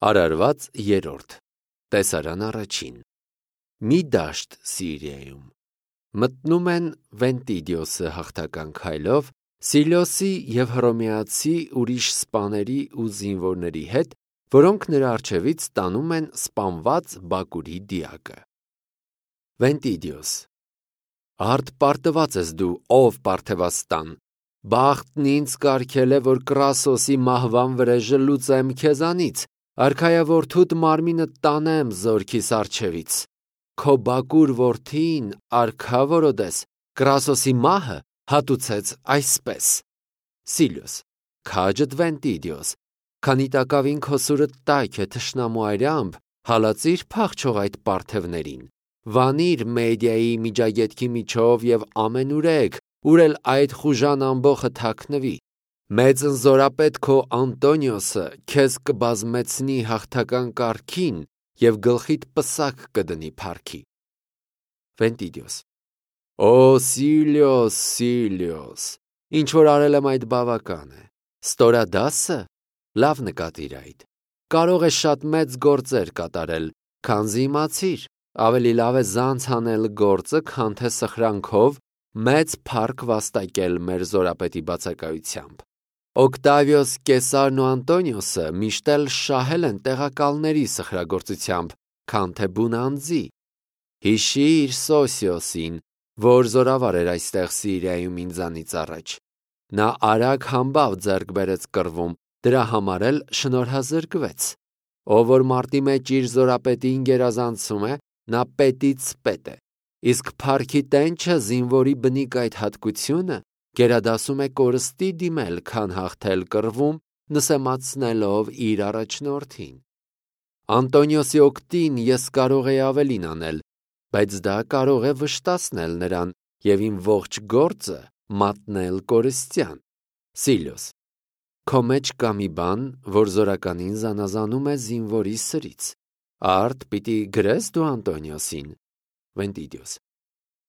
Արարված 3 Տեսարան առաջին Մի դաշտ Սիրիայում Մտնում են Վենտիդիոսը հաղթական քայլով Սիլիոսի և հռոմեացի ուրիշ սպաների ու զինվորների հետ, որոնք նրա առջևից տանում են սպանված Բակուրի դիակը։ Վենտիդիոս Արդ պարտված ես դու, ով Պարթևաստան, բախտն ինձ կարգել է, որ Կրասոսի մահվան վրեժը լուծեմ քեզանից, արքայավորթուդ մարմինը տանեմ զորքիս առջևից։ Քո Բակուր որդին, արքա որոդես, Կրասոսի մահը հատուցեց այսպես. Սիլիոս, քաջդ Վենտիդիոս, քանի տակավին քո սուրը տայք է թշնամու այրամբ, հալածիր փախչող այդ պարթևներին, վանիր Մեդիայի միջագետքի միջով և ամենուրեք, ուր էլ այդ խուժան ամբոխը թաքնվի, մեծ ընզորապետ քո Անտոնիոսը քեզ կբազմեցնի հաղթական կարգին և գլխիդ պսակ կդնի փառքի։ Վենտիդիոս Օ Սիլիոս, Սիլիոս, ինչ որ արել եմ այդ բավական է, ստորադասը, լավ նկատիր այդ, կարող է շատ մեծ գործեր կատարել, քանզի իմացիր, ավելի լավ է զանց անել գործը, քան թե սխրանքով մեծ փառք վաստակել մեր զորապետի բացակայությամբ։ Օկտավիոս Կեսարն ու Անտոնիոսը միշտ էլ շահել են տեղակալների սխրագործությամբ, քան թե բուն անձի։ Հիշիր Սոսիոսին, որ զորավար էր այստեղ Սիրիայում ինձանից առաջ։ Նա արագ համբավ ձեռք բերեց կռվում, դրա համար էլ շնորհազրկվեց։ Ով որ մարտի մեջ իր զորապետին գերազանցում է, նա պետից պետ է։ Իսկ փառքի տենչը զինվորի բնիկ այդ հատկությունը գերադասում է կորստի դիմել, քան հաղթել կռվում, նսեմացնելով իր առաջնորդին։ Անտոնիոսի օգտին ես կարող էի ավելին անել, բայց դա կարող է վշտացնել նրան և իմ ողջ գործը մատնել կորստյան։ Սիլիոս, քո մեջ կա մի բան, որ զորականին զանազանում է զինվորի սրից։ Արդ պիտի գրես դու Անտոնիոսին։ Վենտիդիոս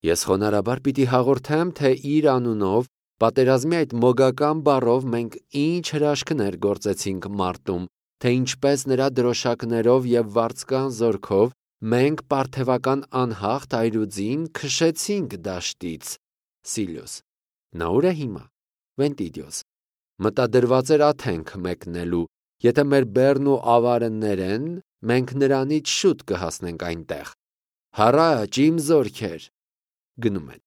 Ես խոնարհաբար պիտի հաղորդեմ, թե իր անունով պատերազմի այդ մոգական բառով մենք ինչ հրաշքներ գործեցինք մարտում, թե ինչպես նրա դրոշակներով և վարձկան զորքով մենք պարթևական անհաղթ այրուձին քշեցինք դաշտից։ Սիլիոս Նա ուր է հիմա։ Վենտիդիոս Մտադրված էր Աթենք մեկնելու, եթե մեր բեռն ու ավարը ներեն, մենք նրանից շուտ կհասնենք այնտեղ։ Հառաչ իմ զորքեր։ Գնում են։